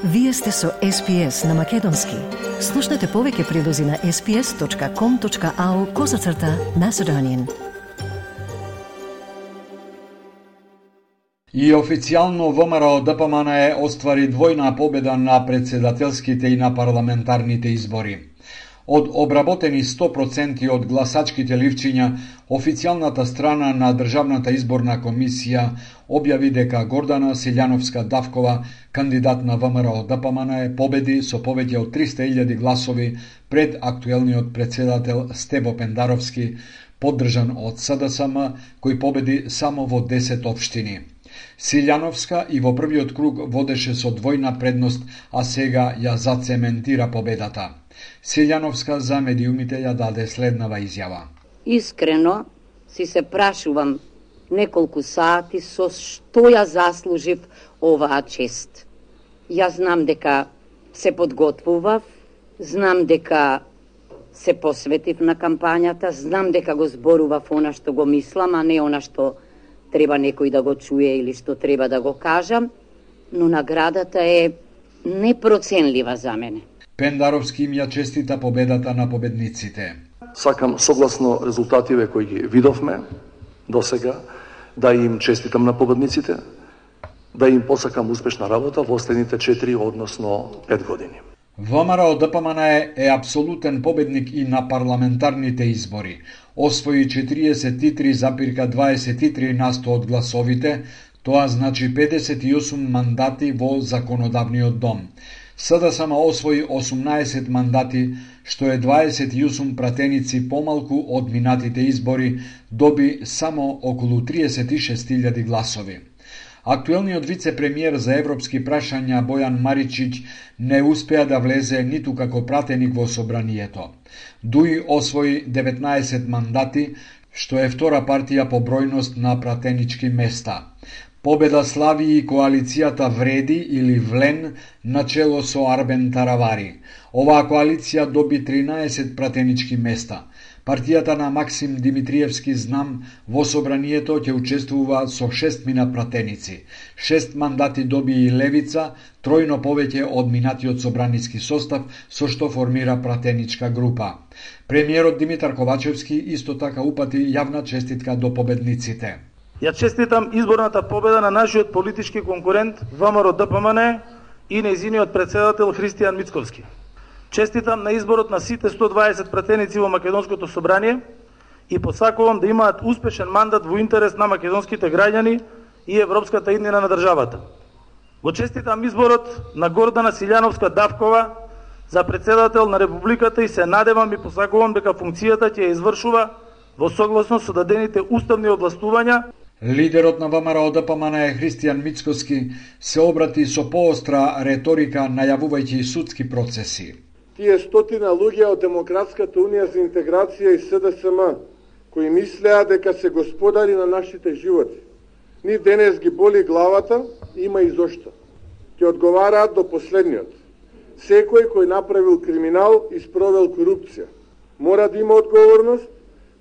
Вие сте со SPS на Македонски. Слушнете повеќе прилози на sps.com.au/Macedonian. И официјално ВМРО-ДПМН оствари двојна победа на председателските и на парламентарните избори. Од обработени 100% од гласачките ливчиња, официјалната страна на Државната изборна комисија објави дека Гордана Силјановска-Давкова, кандидат на ВМРО-ДПМН, победи со повеќе од 300.000 гласови пред актуелниот председател Стебо Пендаровски, поддржан од СДСМ, кој победи само во 10 општини. Силјановска и во првиот круг водеше со двојна предност, а сега ја зацементира победата. Силјановска за медиумите ја даде следнава изјава. Искрено си се прашувам неколку сати со што ја заслужив оваа чест. Јас знам дека се подготвував, знам дека се посветив на кампањата, знам дека го зборував она што го мислам, а не она што треба некој да го чуе или што треба да го кажам, но наградата е непроценлива за мене. Пендаровски им ја честита победата на победниците. Сакам согласно резултативе кои ги видовме до сега, да им честитам на победниците, да им посакам успешна работа во следните 4, односно 5 години. ВМРО-ДПМН е апсолутен победник и на парламентарните избори. Освои 43,23% од гласовите, тоа значи 58 мандати во законодавниот дом. СДСМ освои 18 мандати, што е 28 пратеници помалку од минатите избори, доби само околу 36.000 гласови. Актуелниот вице-премиер за европски прашања Бојан Маричиќ не успеа да влезе ниту како пратеник во собранието. Дуи освои 19 мандати, што е втора партија по бројност на пратенички места. Победа слави и коалицијата Вреди или Влен начело со Арбен Таравари. Оваа коалиција доби 13 пратенички места. Партијата на Максим Димитриевски Знам во собранието ќе учествува со 6 пратеници. 6 мандати доби и Левица, тројно повеќе од минатиот собраниски состав, со што формира пратеничка група. Премиерот Димитар Ковачевски исто така упати јавна честитка до победниците. Ја честитам изборната победа на нашиот политички конкурент ВМРО-ДПМН и нејзиниот председател Христијан Мицковски. Честитам на изборот на сите 120 пратеници во Македонското собрание и посакувам да имаат успешен мандат во интерес на македонските граѓани и европската иднина на државата. Го честитам изборот на Гордана Силјановска-Давкова за председател на Републиката и се надевам и посакувам дека функцијата ќе ја извршува во согласно со дадените уставни овластувања. Лидерот на ВМРО-ДПМН Христијан Мицковски се обрати со поостра реторика најавувајќи судски процеси. Тие стотина луѓе од Демократската унија за интеграција и СДСМ, кои мислеа дека се господари на нашите животи, нив денес ги боли главата, има и зошто. Ќе одговараат до последниот. Секој кој направил криминал и спровел корупција мора да има одговорност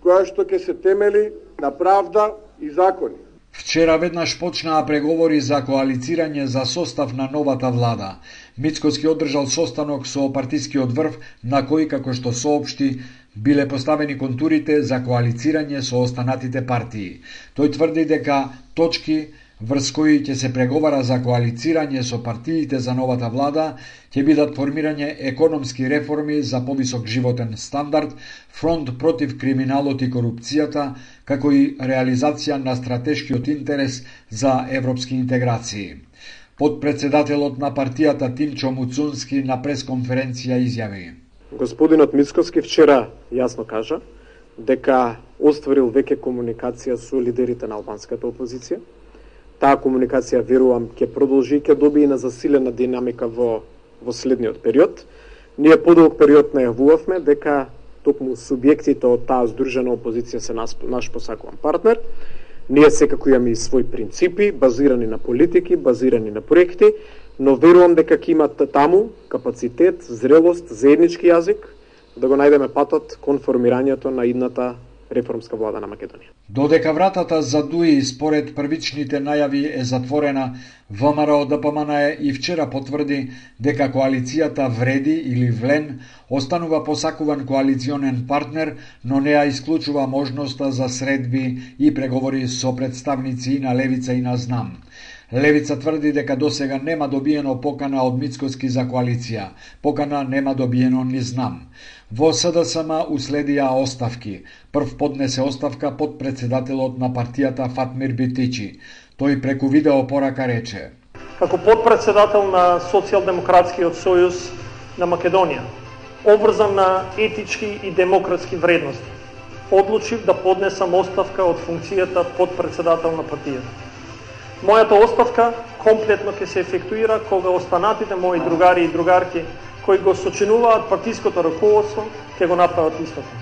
која што ќе се темели на правда и закони. Вчера веднаш почнаа преговори за коалицирање за состав на новата влада. Мицковски одржал состанок со партискиот врв, на кој, како што соопшти, биле поставени контурите за коалицирање со останатите партии. Тој тврди дека точки врз кои ќе се преговара за коалицирање со партиите за новата влада ќе бидат формирање економски реформи за повисок животен стандард, фронт против криминалот и корупцијата, како и реализација на стратешкиот интерес за европски интеграции. Подпредседателот на партијата Тимчо Муцунски на пресконференција изјави: Господинот Мицковски вчера јасно кажа дека остварил веќе комуникација со лидерите на албанската опозиција. Таа комуникација, верувам, ќе продолжи и ќе добие на засилена динамика во следниот период. Ние подолг период најавувавме дека токму субјектите од таа здружена опозиција се наш посакуван партнер. Ние секако имаме и своји принципи, базирани на политики, базирани на проекти, но верувам дека ќе имат таму капацитет, зрелост, заеднички јазик, да го најдеме патот кон формирањето на идната реформска влада на Македонија. Додека вратата за ДУИ според првичните најави е затворена, ВМРО ДПМН и вчера потврди дека коалицијата вреди или влен останува посакуван коалиционен партнер, но не ја исклучува можноста за средби и преговори со представници на Левица и на Знам. Левица тврди дека досега нема добиено покана од Мицкоски за коалиција. Покана нема добиено ни Знам. Во СДСМ уследија оставки. Прв поднесе оставка подпредседателот на партијата Фатмир Битичи. Тој преку видеопорака рече: Како подпредседател на Социјалдемократскиот сојуз на Македонија, обврзан на етички и демократски вредности, одлучив да поднесам оставка од функцијата подпредседател на партијата. Мојата оставка комплетно ќе се ефектуира кога останатите мои другари и другарки кои го сочинуваат партиското раководство ќе го направат истото.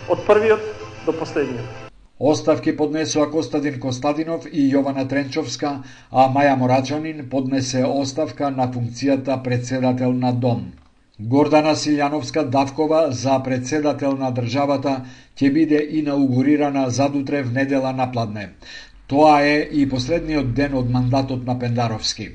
Од првиот до последниот. Оставки поднесоа Костадин Костадинов и Јована Тренчовска, а Маја Морачанин поднесе оставка на функцијата председател на Дом. Гордана Силјановска Давкова за председател на државата ќе биде инаугурирана задутре в недела напладне. Тоа е и последниот ден од мандатот на Пендаровски.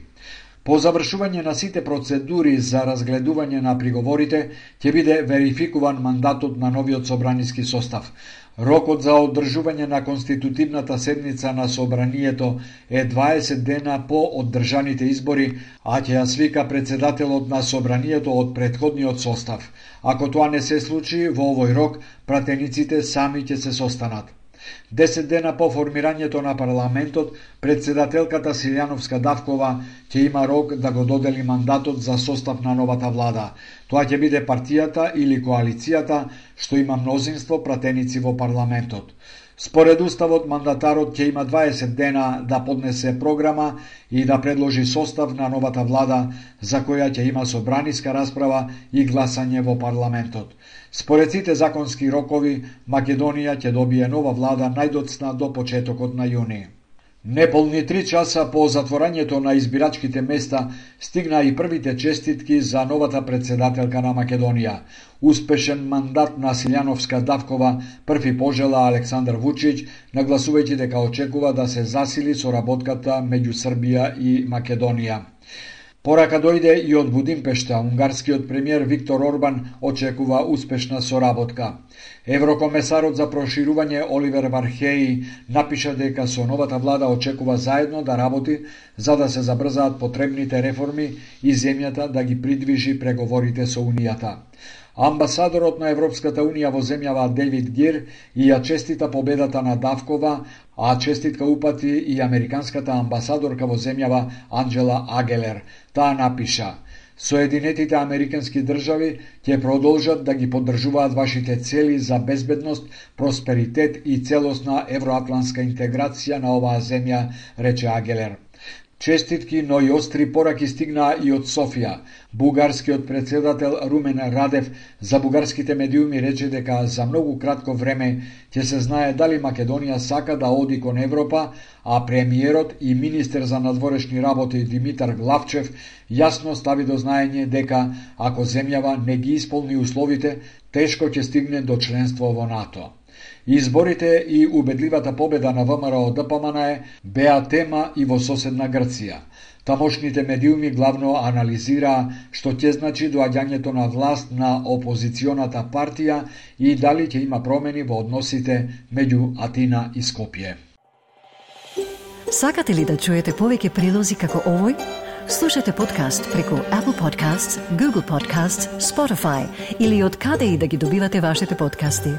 По завршување на сите процедури за разгледување на приговорите, ќе биде верификуван мандатот на новиот собраниски состав. Рокот за одржување на конститутивната седница на собранието е 20 дена по оддржаните избори, а ќе ја свика председателот на собранието од претходниот состав. Ако тоа не се случи во овој рок, пратениците сами ќе се состанат. 10 дена по формирањето на парламентот, председателката Силјановска Давкова ќе има рок да го додели мандатот за состав на новата влада. Тоа ќе биде партијата или коалицијата што има мнозинство пратеници во парламентот. Според уставот, мандатарот ќе има 20 дена да поднесе програма и да предложи состав на новата влада, за која ќе има собраниска расправа и гласање во парламентот. Според сите законски рокови, Македонија ќе добие нова влада најдоцна до почетокот на јуни. Неполни 3 часа по затворањето на избирачките места стигна и првите честитки за новата председателка на Македонија. Успешен мандат на Силјановска Давкова први пожела Александар Вучич, нагласувајќи дека очекува да се засили соработката меѓу Србија и Македонија. Порака дојде и од Будимпешта. Унгарскиот премиер Виктор Орбан очекува успешна соработка. Еврокомесарот за проширување Оливер Вархеи напиша дека со новата влада очекува заедно да работи за да се забрзаат потребните реформи и земјата да ги придвижи преговорите со Унијата. Амбасадорот на Европската Унија во земјава Девид Гир и ја честита победата на Давкова, а честитка упати и американската амбасадорка во земјава Анджела Агелер. Таа напиша: Соединетите американски држави ќе продолжат да ги поддржуваат вашите цели за безбедност, просперитет и целосна евроатлантска интеграција на оваа земја, рече Агелер. Честитки, но и остри пораки стигнаа и од Софија. Бугарскиот председател Румен Радев за бугарските медиуми рече дека за многу кратко време ќе се знае дали Македонија сака да оди кон Европа, а премиерот и министер за надворешни работи Димитар Главчев јасно стави до знаење дека ако земјава не ги исполни условите, тешко ќе стигне до членство во НАТО. Изборите и убедливата победа на ВМРО ДПМН беа тема и во соседна Грција. Тамошните медиуми главно анализираа што ќе значи доаѓањето на власт на опозиционата партија и дали ќе има промени во односите меѓу Атина и Скопје. Сакате ли да чуете повеќе прилози како овој? Слушате подкаст преку Apple Podcasts, Google Podcasts, Spotify или од каде и да ги добивате вашите подкасти.